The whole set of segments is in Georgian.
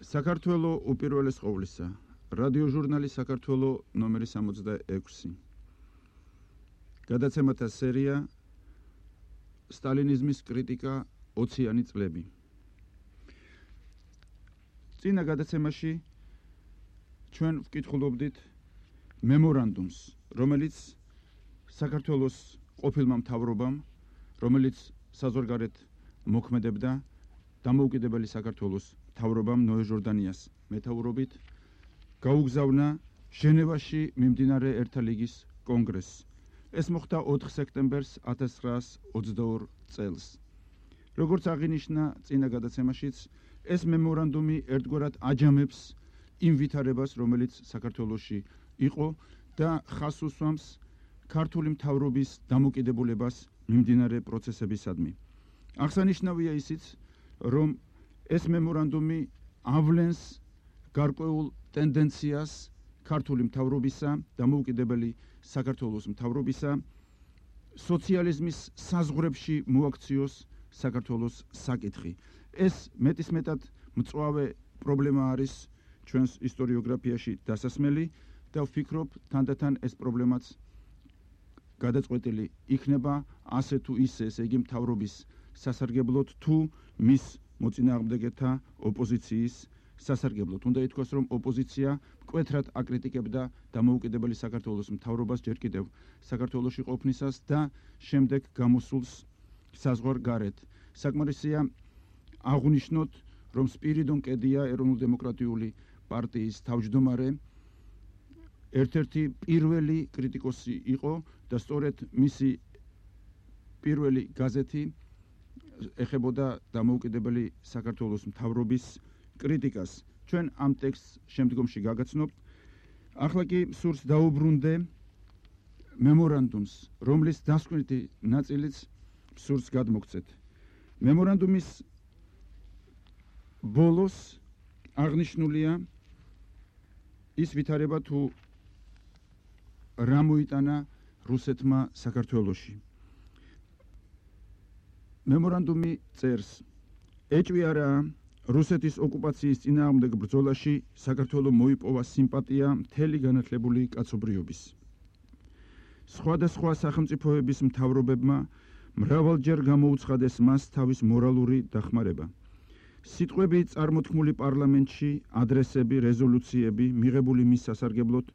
საქართველო უპირველეს ყოვლისა. რადიო ჟურნალი საქართველო ნომერი 66. გადაცემათა სერია სტალინიზმის კრიტიკა 20-იანი წლები. წინა გადაცემაში ჩვენ ვკითხულობდით მემორანდუმს, რომელიც საქართველოს ყოფილმა მთავრობამ, რომელიც საზღვარგარეთ მოქმედებდა დამოუკიდებელი საქართველოს მთავრობამ ნოე ჟორდანიას მეთაურობით გაუგზავნა ჟენევაში მიმდინარე ერთა ლიგის კონგრესს. ეს მოხდა 4 სექტემბერს 1922 წელს. როგორც აღინიშნა წინა გადაცემაშიც, ეს მემორანდუმი ერთგვარად აჯამებს იმ ვითარებას, რომელიც საქართველოში იყო და ხაზს უსვამს ქართული მთავრობის დამოკიდებულებას მიმდინარე პროცესებისადმი. აღსანიშნავია ისიც, რომ ეს მემორანდუმი ავლენს გარკვეულ ტენდენციას ქართული მთავრობისა, დამოუკიდებელი საქართველოს მთავრობისა, სოციალიზმის საზღვრებში მოაქციოს საქართველოს საკითხი. ეს მეტისმეტად მწვავე პრობლემა არის ჩვენს ისტორიოგრაფიაში დასასმელი და ვფიქრობ, თანდათან ეს პრობლემაც გადაწყვეტილი იქნება ასე თუ ისე, ესე იგი მთავრობის სასარგებლოდ თუ მის მოწინააღმდეგეთა ოპოზიციის სასარგებლოდ. უნდა ითქვას, რომ ოპოზიცია მკვეთრად აკრიტიკებდა დამოუკიდებელი საქართველოს მთავრობას ჯერ კიდევ საქართველოში ყოფნისას და შემდეგ გამოსულს საზღვარგარეთ. საკმარისია აღვნიშნოთ, რომ სპირიდონ კედია ეროვნულ-დემოკრატიული პარტიის თავმჯდომარე ერთ-ერთი პირველი კრიტიკოსი იყო და სწორედ მისი პირველი გაზეთი ეხებოდა დამოუკიდებელი საქართველოს მთავრობის კრიტიკას. ჩვენ ამ ტექსტს შემდგომში გაგაცნობთ. ახლა კი სურს დაუბრუნდე მემორანდუმს, რომლის დასკვნითი ნაწილიც სურს გადმოგცეთ. მემორანდუმის ბოლოს აღნიშნულია ის ვითარება თუ რა მოიტანა რუსეთმა საქართველოში. მემორანდუმი წერს: ეჭვი არაა, რუსეთის ოკუპაციის წინააღმდეგ ბრძოლაში საქართველო მოიპოვა სიმპათია მთელი განათლებული კაცობრიობის. სხვადასხვა სახელმწიფოების მთავრობებმა მრავალჯერ გამოუცხადეს მას თავის მორალური დახმარება. სიტყვები წარმოთქმული პარლამენტში, ადრესები, რეზოლუციები მიღებული მის სასარგებლოდ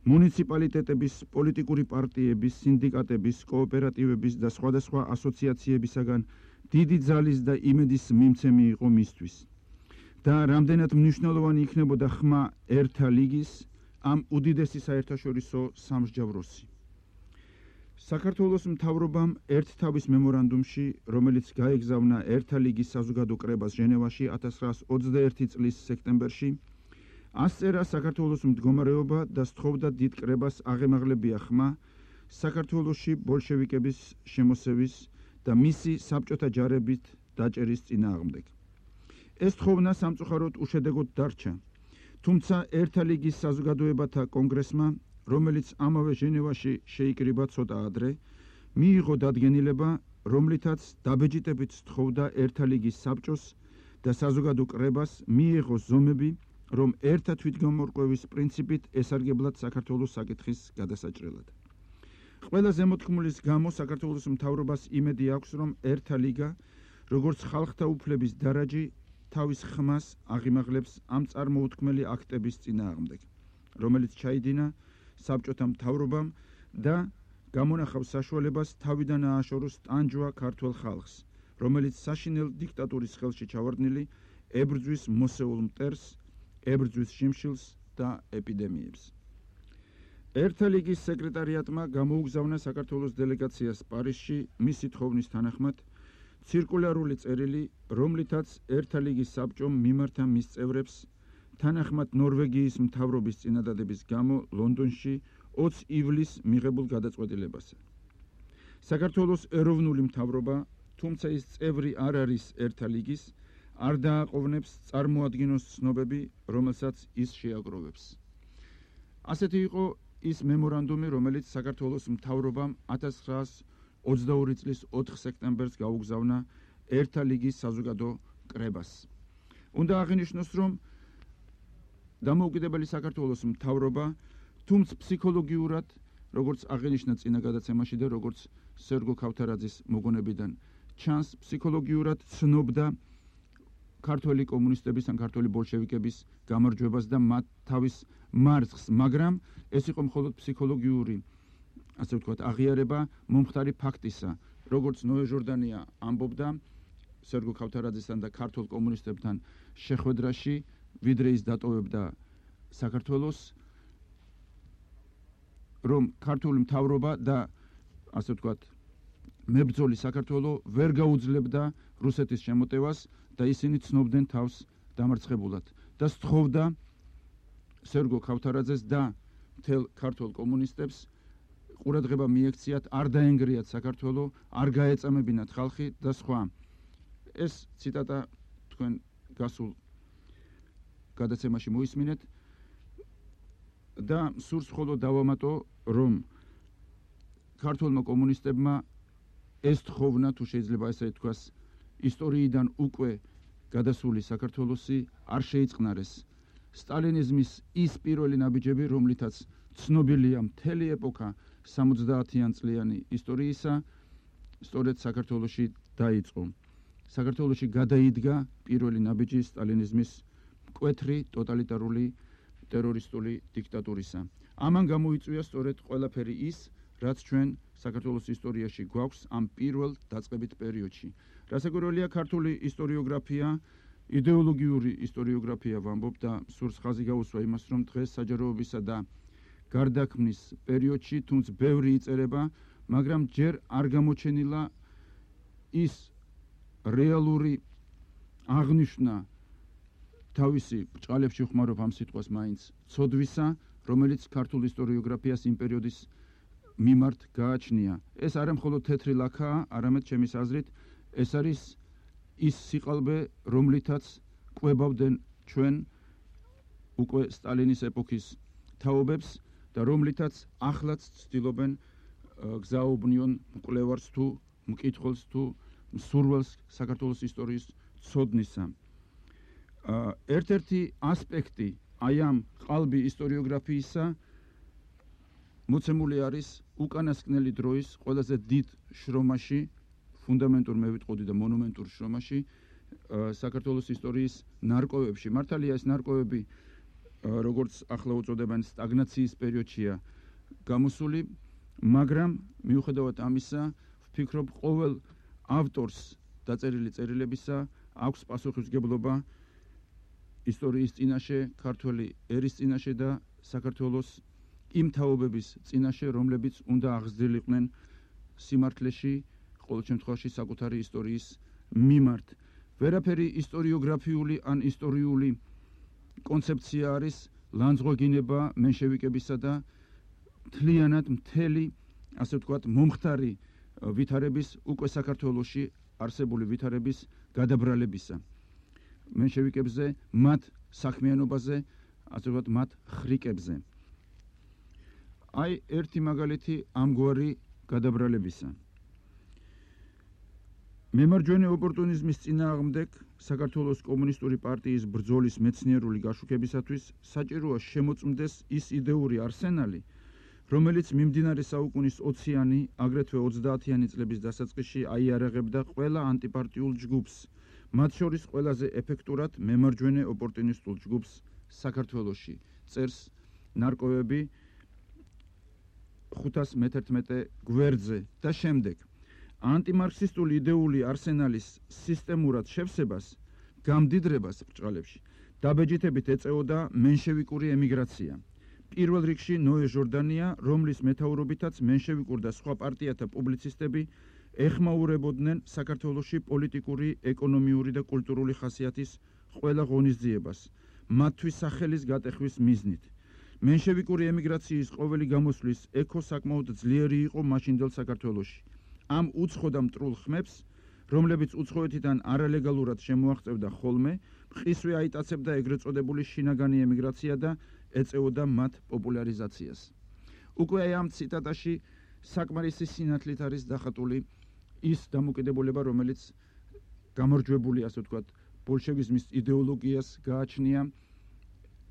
მუნიციპალიტეტების, პოლიტიკური პარტიების, სინდიკატების, კოოპერატივების და სხვადასხვა ასოციაციებისაგან დიდი ძალის და იმედის მიმცემი იყო მისთვის. და რამდენად მნიშვნელოვანი იქნებოდა ხმა ერთა ლიგის, ამ უდიდესი საერთაშორისო სამსჯავროსი. საქართველოს მთავრობამ ერთთავის მემორანდუმში, რომელიც გაეგზავნა ერთა ლიგის საზოგადო კრებას ჟენევაში 1921 წლის სექტემბერში, ასწერა საქართველოს მდგომარეობა და სთხოვდა დიდ კრებას აღემაღლებია ხმა საქართველოში ბოლშევიკების შემოსევის და მისი საბჭოთა ჯარებით დაჭერის წინააღმდეგ. ეს თხოვნა სამწუხაროდ უშედეგოდ დარჩა, თუმცა ერთა ლიგის საზოგადოებათა კონგრესმა, რომელიც ამავე ჟენევაში შეიკრიბა ცოტა ადრე, მიიღო დადგენილება, რომლითაც დაბეჭდებით სთხოვდა ერთა ლიგის საბჭოს და საზოგადო კრებას მიიღო ზომები, რომ ერთა თვითგამორკვევის პრინციპით ესარგებლად საქართველოს საკითხის გადასაჭრელად. ყველა ზემოთქმულის გამო საქართველოს მთავრობას იმედი აქვს, რომ ერთა ლიგა, როგორც ხალხთა უფლების დარაჯი, თავის ხმას აღიმაღლებს ამ წარმოუთქმელი აქტების წინააღმდეგ, რომელიც ჩაიდინა საბჭოთა მთავრობამ და გამონახავს საშუალებას თავიდან ააშოროს ტანჯვა ქართველ ხალხს, რომელიც საშინელ დიქტატურის ხელში ჩავარდნილი ებრძვის მოსეულ მტერს, ებრძვის შიმშილს და ეპიდემიებს. ერთა ლიგის სეკრეტარიატმა გამოუგზავნა საქართველოს დელეგაციას პარიზში მისი თხოვნის თანახმად ცირკულარული წერილი, რომლითაც ერთა ლიგის საბჭომ მიმართა მის წევრებს თანახმად ნორვეგიის მთავრობის წინადადების გამო ლონდონში 20 ივლისს მიღებულ გადაწყვეტილებასა. საქართველოს ეროვნული მთავრობა, თუმცა ის წევრი არ არის ერთა ლიგის, არ დააყოვნებს წარმოადგინოს ცნობები, რომელსაც ის შეაგროვებს. ასეთი იყო ის მემორანდუმი, რომელიც საქართველოს მთავრობამ 1922 წლის 4 სექტემბერს გაუგზავნა ერთა ლიგის საზოგადო კრებას. უნდა აღინიშნოს, რომ დამოუკიდებელი საქართველოს მთავრობა, თუმცა ფსიქოლოგიურად, როგორც აღინიშნა წინა გადაცემაში და როგორც სერგო ქავთარაძის მოგონებიდან ჩანს, ფსიქოლოგიურად ცნობდა ქართველი კომუნისტების ან ქართველი ბოლშევიკების გამარჯვებას და მათ თავის მარცხს, მაგრამ ეს იყო მხოლოდ ფსიქოლოგიური, ასე ვთქვათ, აღიარება მომხდარი ფაქტისა, როგორც ნოე ჟორდანია ამბობდა სერგო ქავთარაძესთან და ქართულ კომუნისტებთან შეხვედრაში, ვიდრე ის დატოვებდა საქართველოს, რომ ქართული მთავრობა და ასე ვთქვათ, მებრძოლი საქართველო ვერ გაუძლებდა რუსეთის შემოტევას და ისინი ცნობდნენ თავს დამარცხებულად და სთხოვდა სერგო ქავთარაძეს და მთელ ქართულ კომუნისტებს ყურადღება მიექციათ, არ დაენგრიათ საქართველო, არ გაეწამებინათ ხალხი და სხვა. ეს ციტატა თქვენ გასულ გადაცემაში მოისმინეთ და სურს მხოლოდ დავამატო, რომ ქართულმა კომუნისტებმა ეს თხოვნა, თუ შეიძლება ესე ითქვას, ისტორიიდან უკვე გადასული საქართველოსი არ შეიწყნარეს. სტალინიზმის ის პირველი ნაბიჯები, რომლითაც ცნობილია მთელი ეპოქა 70-იან წლიანი ისტორიისა, სწორედ საქართველოში დაიწყო. საქართველოში გადაიდგა პირველი ნაბიჯი სტალინიზმის მკვეთრი ტოტალიტარული ტერორისტული დიქტატურისა. ამან გამოიწვია სწორედ ყველაფერი ის, რაც ჩვენ საქართველოს ისტორიაში გვაქვს ამ პირველ დაწყებით პერიოდში. რასაკვირველია, ქართული ისტორიოგრაფია, იდეოლოგიური ისტორიოგრაფია ვამბობ და სურს ხაზი გაუსვა იმას, რომ დღეს საჯაროებისა და გარდაქმნის პერიოდში, თუნდაც ბევრი იწერება, მაგრამ ჯერ არ გამოჩენილა ის რეალური აღნიშვნა თავისი ბრჭყალებში ხმარობ ამ სიტყვას მაინც ცოდვისა, რომელიც ქართულ ისტორიოგრაფიას იმ პერიოდის მიმართ გააჩნია. ეს არა მხოლოდ თეთრი ლაქაა, არამედ ჩემის აზრით, ეს არის ის სიყალბე, რომლითაც კვებავდნენ ჩვენ უკვე სტალინის ეპოქის თაობებს და რომლითაც ახლაც ცდილობენ გზაობნიონ მკვლევარს თუ მკითხველს თუ მსურველს საქართველოს ისტორიის ცოდნისა. ერთ-ერთი ასპექტი აი ამ ყალბი ისტორიოგრაფიისა მოცემული არის უკანასკნელი დროის ყველაზე დიდ შრომაში, ფუნდამენტურ მე ვიტყოდი და მონუმენტურ შრომაში, საქართველოს ისტორიის ნარკვევებში. მართალია ეს ნარკვევები, როგორც ახლა უწოდებენ, სტაგნაციის პერიოდშია გამოსული, მაგრამ მიუხედავად ამისა, ვფიქრობ, ყოველ ავტორს დაწერილი წერილებისა აქვს პასუხისმგებლობა ისტორიის წინაშე, ქართველი ერის წინაშე და საქართველოს იმ თაობების წინაშე, რომლებიც უნდა აღზრდილიყვნენ სიმართლეში, ყოველ შემთხვევაში საკუთარი ისტორიის მიმართ. ვერაფერი ისტორიოგრაფიული ან ისტორიული კონცეფცია არის ლანძღვეგინება მენშევიკებისა და მთლიანად მთელი, ასე ვთქვათ, მომხდარი ვითარების, უკვე საქართველოში არსებული ვითარების გადაბრალებისა. მენშევიკებზე, მათ საქმიანობაზე, ასე ვთქვათ, მათ ხრიკებზე. აი ერთი მაგალითი ამგვარი გადაბრალებისა. მემარჯვენე ოპორტუნიზმის წინააღმდეგ საქართველოს კომუნისტური პარტიის ბრძოლის მეცნიერული გაშუქებისათვის საჭიროა შემოწმდეს ის იდეური არსენალი, რომელიც მიმდინარე საუკუნის 20-იანი, აგრეთვე 30-იანი წლების დასაწყისში აიარაღებდა ყველა ანტიპარტიულ ჯგუფს, მათ შორის ყველაზე ეფექტურად მემარჯვენე ოპორტუნისტულ ჯგუფს საქართველოში. წერს ნარკვევები 511 გვერდზე და შემდეგ. ანტიმარქსისტული იდეური არსენალის სისტემურად შევსებას, გამდიდრებას ბრჭყალებში დაბეჯითებით ეწეოდა მენშევიკური ემიგრაცია. პირველ რიგში ნოე ჟორდანია, რომლის მეთაურობითაც მენშევიკურ და სხვა პარტიათა პუბლიცისტები ეხმაურებოდნენ საქართველოში პოლიტიკური, ეკონომიური და კულტურული ხასიათის ყველა ღონისძიებას, მათთვის სახელის გატეხვის მიზნით. მენშევიკური ემიგრაციის ყოველი გამოსვლის ექო საკმაოდ ძლიერი იყო მაშინდელ საქართველოში. ამ უცხო და მტრულ ხმებს, რომლებიც უცხოეთიდან არალეგალურად შემოაღწევდა ხოლმე, მყისვე აიტაცებდა ეგრეთ წოდებული შინაგანი ემიგრაცია და ეწეოდა მათ პოპულარიზაციას. უკვე აი ამ ციტატაში საკმარისი სინათლით არის დახატული ის დამოკიდებულება, რომელიც გამარჯვებული, ასე ვთქვათ, ბოლშევიზმის იდეოლოგიას გააჩნია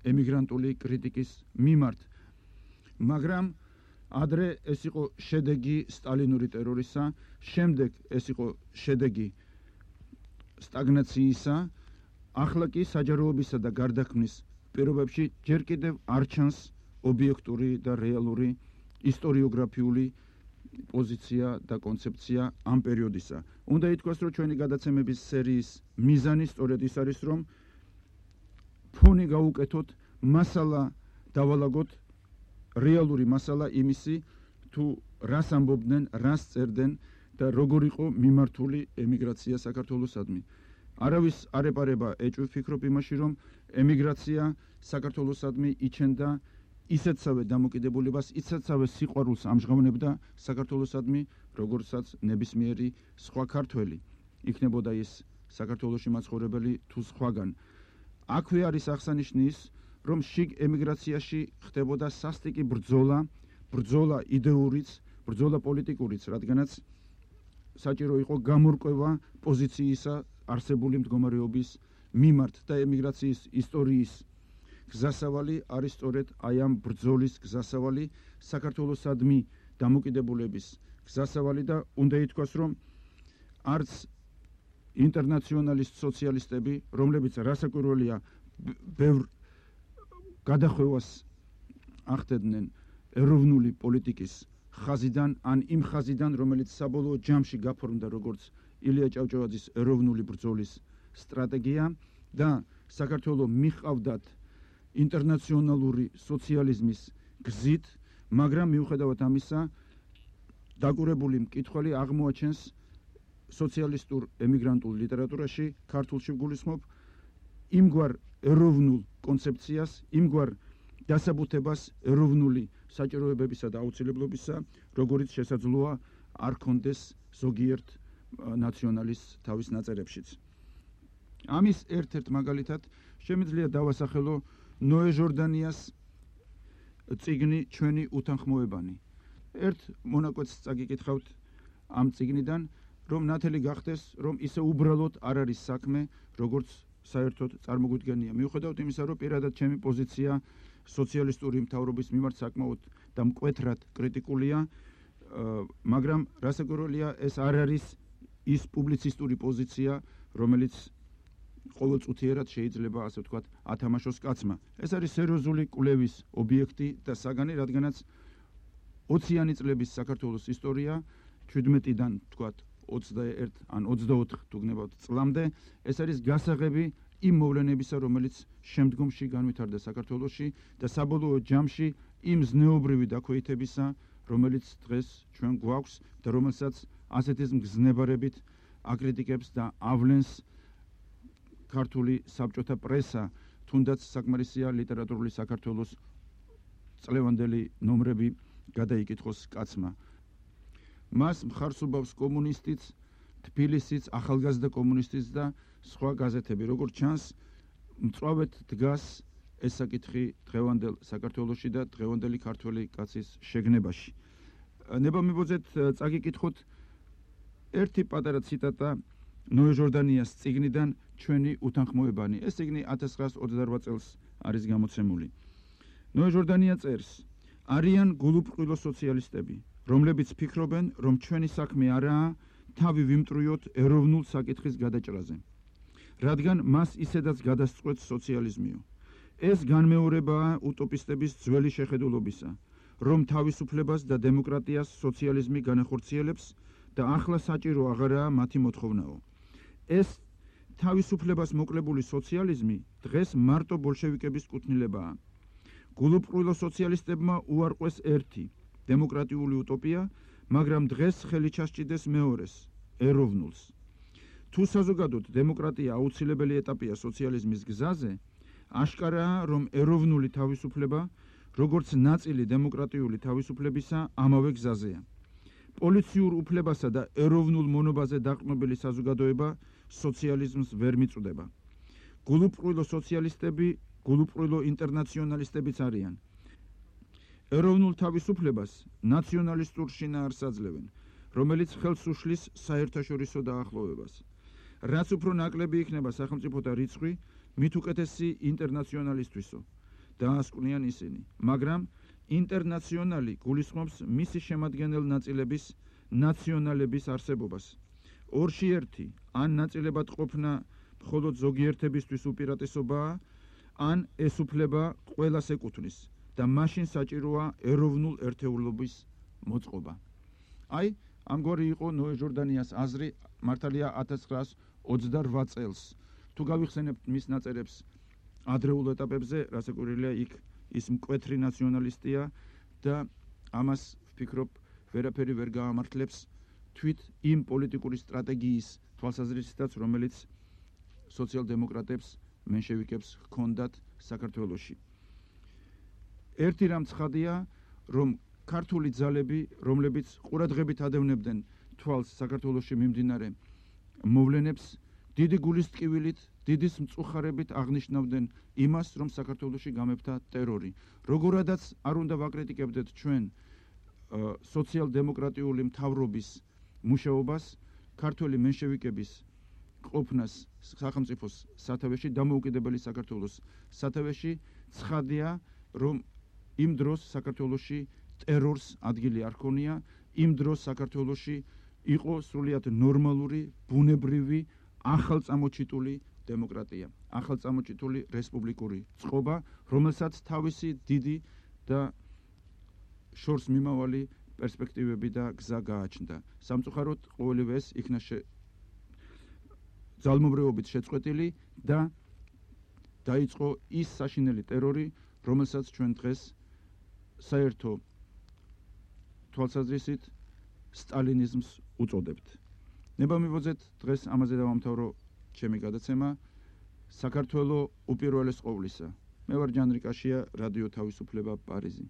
ემიგრანტული კრიტიკის მიმართ. მაგრამ ადრე ეს იყო შედეგი სტალინური ტერორისა, შემდეგ ეს იყო შედეგი სტაგნაციისა, ახლა კი საჯაროობისა და გარდაქმნის პირობებში ჯერ კიდევ არ ჩანს ობიექტური და რეალური ისტორიოგრაფიული პოზიცია და კონცეფცია ამ პერიოდისა. უნდა ითქვას, რომ ჩვენი გადაცემების სერიის მიზანი სწორედ ის არის, რომ ფონი გაუკეთოთ, მასალა დავალაგოთ, რეალური მასალა იმისი, თუ რას ამბობდნენ, რას წერდნენ და როგორ იყო მიმართული ემიგრაცია საქართველოსადმი. არავის არ ეპარება ეჭვი ვფიქრობ იმაში, რომ ემიგრაცია საქართველოსადმი იჩენდა ისეთსავე დამოკიდებულებას, ისეთსავე სიყვარულს ამჟღავნებდა საქართველოსადმი, როგორცაც ნებისმიერი სხვა ქართველი. იქნებოდა ის საქართველოში მაცხოვრებელი თუ სხვაგან. აქვე არის აღსანიშნი ის, რომ შიგ ემიგრაციაში ხდებოდა სასტიკი ბრძოლა იდეურიც, ბრძოლა პოლიტიკურიც, რადგანაც საჭირო იყო გამორკვევა პოზიციისა არსებული მდგომარეობის მიმართ და ემიგრაციის ისტორიის გზასავალი არის სწორედ აი ამ ბრძოლის გზასავალი, საქართველოსადმი დამოკიდებულების გზასავალი და უნდა ითქვას, რომ არც ინტერნაციონალისტ სოციალისტები, რომლებიც რასაკვირველია ბევრ გადახვევას ახდედნენ ეროვნული პოლიტიკის ხაზიდან, ან იმ ხაზიდან, რომელიც საბოლოო ჯამში გაფორმდა როგორც ილია ჭავჭავაძის ეროვნული ბრძოლის სტრატეგია და საქართველოს მიჰყავდათ ინტერნაციონალური სოციალიზმის გზით, მაგრამ მიუხედავად ამისა, დაკურებული მკითხველი აღმოაჩენს სოციალისტურ ემიგრანტულ ლიტერატურაში, ქართულში ვგულისხმობ, იმგვარ ეროვნულ კონცეფციას, იმგვარ დასაბუთებას ეროვნული საჭიროებებისა და აუცილებლობისა, როგორიც შესაძლოა არ ქონდეს ზოგიერთ ნაციონალისტს თავის ნაწერებშიც. ამის ერთ-ერთ მაგალითად შემიძლია დავასახელო ნოე ჟორდანიას წიგნი ჩვენი უთანხმოებანი. ერთ მონაკვეთს წაგიკითხავთ ამ წიგნიდან, რომ ნათელი გახდეს, რომ ისე უბრალოდ არ არის საქმე, როგორც საერთოდ წარმოგვიდგენია. მიუხედავად იმისა, რომ პირადად ჩემი პოზიცია სოციალისტური მთავრობის მიმართ საკმაოდ და მკვეთრად კრიტიკულია, მაგრამ რასაკვირველია, ეს არ არის ის პუბლიცისტური პოზიცია, რომელიც ყოველწუთიერად შეიძლება, ასე ვთქვათ, ათამაშოს კაცმა. ეს არის სერიოზული კვლევის ობიექტი და საგანი, რადგანაც 20-იანი წლების საქართველოს ისტორია 17-დან, ვთქვათ, 21 ან 24 თუ გნებავთ წლამდე, ეს არის გასაღები იმ მოვლენებისა, რომელიც შემდგომში განვითარდა საქართველოში და საბოლოო ჯამში იმ ზნეობრივი დაქვეითებისა, რომელიც დღეს ჩვენ გვაქვს და რომელსაც ასეთი მგზნებარებით აკრიტიკებს და ავლენს ქართული საბჭოთა პრესა, თუნდაც საკმარისია ლიტერატურული საქართველოს წლევანდელი ნომრები გადაიკითხოს კაცმა. მას მხარს უბავს კომუნისტიც, თბილისიც, ახალგაზრდა კომუნისტიც და სხვა გაზეთები. როგორც ჩანს, მწვავედ დგას ეს საკითხი დღევანდელ საქართველოში და დღევანდელი ქართველი კაცის შეგნებაში. ნება მიბოძეთ წაგიკითხოთ ერთი პატარა ციტატა ნოე ჟორდანიას წიგნიდან ჩვენი უთანხმოებანი. ეს წიგნი 1928 წელს არის გამოცემული. ნოე ჟორდანია წერს: არიან გულუბრყვილო სოციალისტები, რომლებიც ფიქრობენ, რომ ჩვენი საქმე არაა თავი ვიმტრუიოთ ეროვნულ საკითხის გადაჭრაზე, რადგან მას ისედაც გადასწყვეტს სოციალიზმიო. ეს განმეორებაა უტოპისტების ძველი შეხედულობისა, რომ თავისუფლებას და დემოკრატიას სოციალიზმი განახორციელებს და ახლა საჭირო აღარაა მათი მოთხოვნაო. ეს თავისუფლებას მოკლებული სოციალიზმი დღეს მარტო ბოლშევიკების კუთვნილებაა. გულუბრყვილო სოციალისტებმა უარყვეს ერთი დემოკრატიული უტოპია, მაგრამ დღეს ხელი ჩასჭიდეს მეორეს, ეროვნულს. თუ საზოგადოდ დემოკრატია აუცილებელი ეტაპია სოციალიზმის გზაზე, აშკარაა, რომ ეროვნული თავისუფლება, როგორც ნაწილი დემოკრატიული თავისუფლებისა, ამავე გზაზეა. პოლიციურ უფლებასა და ეროვნულ მონობაზე დაყრდნობილი საზოგადოება სოციალიზმს ვერ მიწვდება. გულუბრყვილო სოციალისტები გულუბრყვილო ინტერნაციონალისტებიც არიან. ეროვნულ თავისუფლებას ნაციონალისტურ შინაარსს აძლევენ, რომელიც ხელს უშლის საერთაშორისო დაახლოვებას. რაც უფრო ნაკლები იქნება სახელმწიფოთა რიცხვი, მით უკეთესი ინტერნაციონალისტვისო. დაასკვნიან ისინი, მაგრამ ინტერნაციონალი გულისხმობს მისი შემადგენელ ნაწილების ნაციონალების არსებობას. ორში ერთი ან ნაწილებად ყოფნა მხოლოდ ზოგიერთებისთვის უპირატესობაა, ან ეს უფლება ყველას ეკუთვნის და მაშინ საჭიროა ეროვნულ ერთეულობის მოწყობა. აი, ამგვარი იყო ნოე ჟორდანიას აზრი მართალია 1928 წელს. თუ გავიხსენებთ მის ნაწერებს ადრეულ ეტაპებზე, რასაკვირველია, იქ ის მკვეთრი ნაციონალისტია და ამას ვფიქრობ ვერაფერი ვერ გაამართლებს თვით იმ პოლიტიკური სტრატეგიის თვალსაზრისითაც, რომელიც სოციალ-დემოკრატებს, მენშევიკებს ჰქონდათ საქართველოში. ერთი რამ ცხადია, რომ ქართული ძალები, რომლებიც ყურადღებით ადევნებდნენ თვალს საქართველოში მიმდინარე მოვლენებს, დიდი გულისტკივილით, დიდი მწუხარებით აღნიშნავდნენ იმას, რომ საქართველოში გამეფდა ტერორი. როგორადაც არ უნდა ვაკრიტიკებდეთ ჩვენ სოციალ-დემოკრატიული მთავრობის მუშაობას, ქართველი მენშევიკების ყოფნას სახელმწიფოს სათავეში, დამოუკიდებელი საქართველოს სათავეში, ცხადია, რომ იმ დროს საქართველოში ტერორს ადგილი არ ჰქონია, იმ დროს საქართველოში იყო სრულიად ნორმალური, ბუნებრივი, ახალწამოჩიტული დემოკრატია, ახალწამოჩიტული რესპუბლიკური წყობა, რომელსაც თავისი დიდი და შორს მიმავალი პერსპექტივები და გზა გააჩნდა. სამწუხაროდ ყოველივე ეს იქნა ძალმობრეობით შეწყვეტილი და დაიწყო ის საშინელი ტერორი, რომელსაც ჩვენ დღეს საერთო თვალსაზრისით სტალინიზმს უწოდებთ. ნება მივოძეთ დღეს ამაზე დავამთავრო ჩემი გადაცემა. საქართველო უპირველეს ყოვლისა. მე ვარ ჯანრი კაშია, რადიო თავისუფლება, პარიზი.